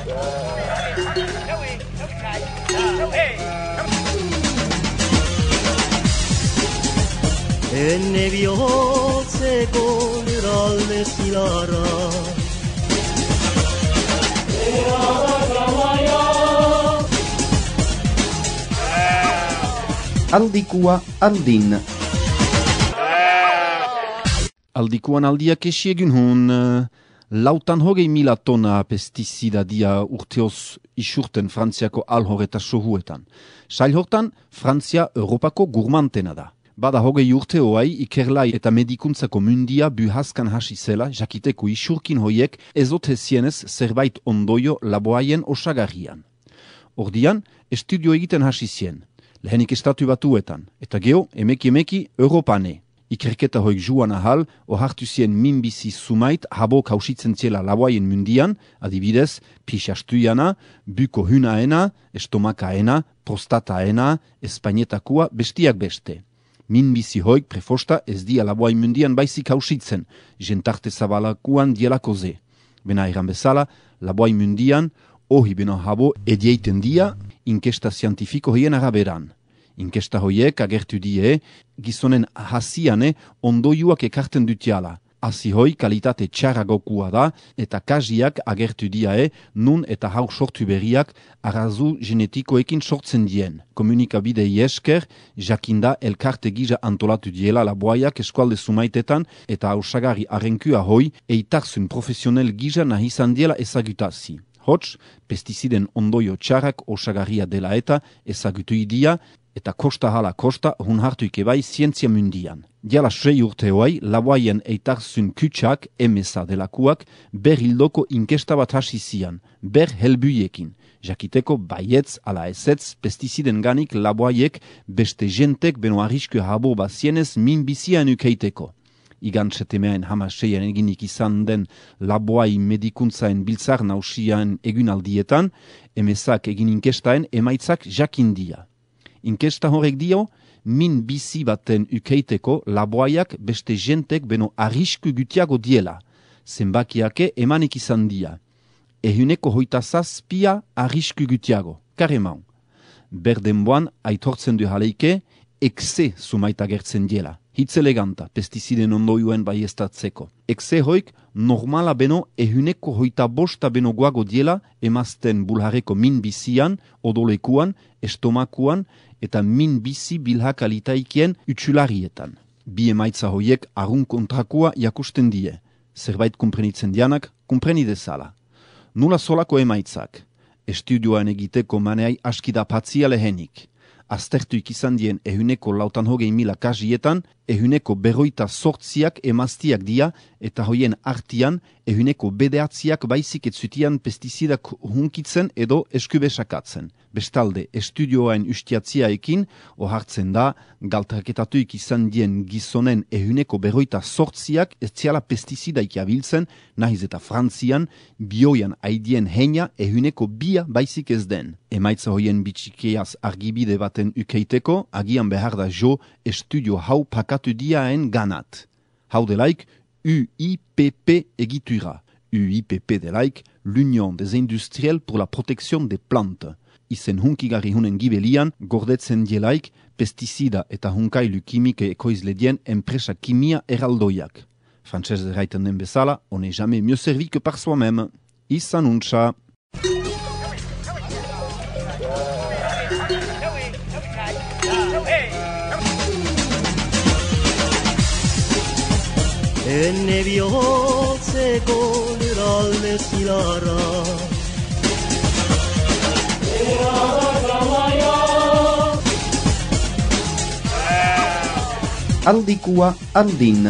Enne bihotzeko eralde zilarra Aldikua aldin. Aldikuan aldiak esiegun hun, 600.000 tona pestizida dia urteoz isurten Frantziako alhor eta sohuetan. Sail hortan, Frantzia Europako gurmantena da. Bada 20 urte hoai ikerlai eta medikuntzako mundia buhazkan hasi zela, jakiteko isurkin hoiek ezote zienez zerbait ondoio laboaien osagarrian. Ordian, estudio egiten hasi zien. Lehenik estatu batuetan, eta geho, emeki Europane. Ikerketa hoik juan ahal, ohartu zien minbizi sumait habo kausitzen ziela laboaien mundian, adibidez, pixastuiana, buko hunaena, estomakaena, prostataena, espainetakua, bestiak beste. Minbizi hoik prefosta ez dia laboain mundian baizik kausitzen, jentarte zabalakuan dielako ze. Bena eran bezala, laboain mundian, ohi beno habo edieiten dia, inkesta zientifiko hien araberan. Inkesta hoiek agertu die, gizonen hasiane ondoiuak ekarten dutiala. Hasi hoi kalitate txarragokua da, eta kaziak agertu die, nun eta hau sortu berriak arazu genetikoekin sortzen dien. Komunikabidei esker, jakinda elkarte gisa antolatu diela laboaiak eskualde sumaitetan, eta hausagarri arrenkua hoi, eitarzun profesionel gisa nahi izan diela ezagutazi. Hots, pestiziden ondoio txarrak osagarria dela eta ezagutu idia, eta kosta hala kosta hun hartuik ebai zientzia mundian. Diala 6 urte hoai, laboaien eitarzun kutsak, emesa delakuak, ber hildoko inkesta bat hasi zian, ber helbuiekin. Jakiteko baietz ala ezetz pestiziden ganik laboaiek beste jentek beno arrisku habo bazienez minbizian ukeiteko. Igan setemeaen hamaseian eginik izan den laboai medikuntzaen biltzar nausian egunaldietan, emesak egin inkestaen emaitzak jakindia. Inkesta horrek dio, min bizi baten ukeiteko laboaiak beste jentek beno arrisku gutiago diela. Zenbakiake emanik izan dia. Ehuneko 27 arrisku gutiago. Karemau. Berdenboan aitortzen du jaleike, ekse sumaita gertzen diela. Hitz eleganta, pestiziden ondoioen baiestatzeko. Ekse hoik, normala beno ehuneko 25 beno guago diela emazten bulhareko min bizian, odolekuan, estomakuan, eta min bizi bilhakalitaikien utsularietan. Bi emaitza hoiek arun kontrakua jakusten die. Zerbait kumprenitzen dianak, kumpreni dezala. Nula solako emaitzak. Estudioan egiteko maneai askida patzia lehenik. Aztertuik izan dien ehuneko 600.000 kasietan, ehuneko 48 emaztiak dia, eta hoien artian ehuneko 9 baizik etzutian pestizidak hunkitzen edo eskubesakatzen. Bestalde, estudioain ustiatziaekin, ohartzen da, galtraketatuik izan dien gizonen ehuneko 48 ez ziala pestizidaik abiltzen, nahiz eta Frantzian, bioian aidien heina ehuneko 2 baizik ez den. Emaitza hoien bitxikeaz argibide baten ukeiteko, agian behar da jo estudio hau pakatu diaen ganat. Hau delaik, UIPP egitura. UIPP delaik, l'Union des Industriels pour la Protection des Plantes. Izen hunkigarri hunen gibelian, gordetzen dielaik, pestizida eta hunkailu kimike ekoizle dien enpresa kimia eraldoiak. Frantzez erraiten den bezala, on n'est jamais mieux servi que par soi-même. Izan untsa. Enne bihotzeko eralde zilarra Aldikua aldin.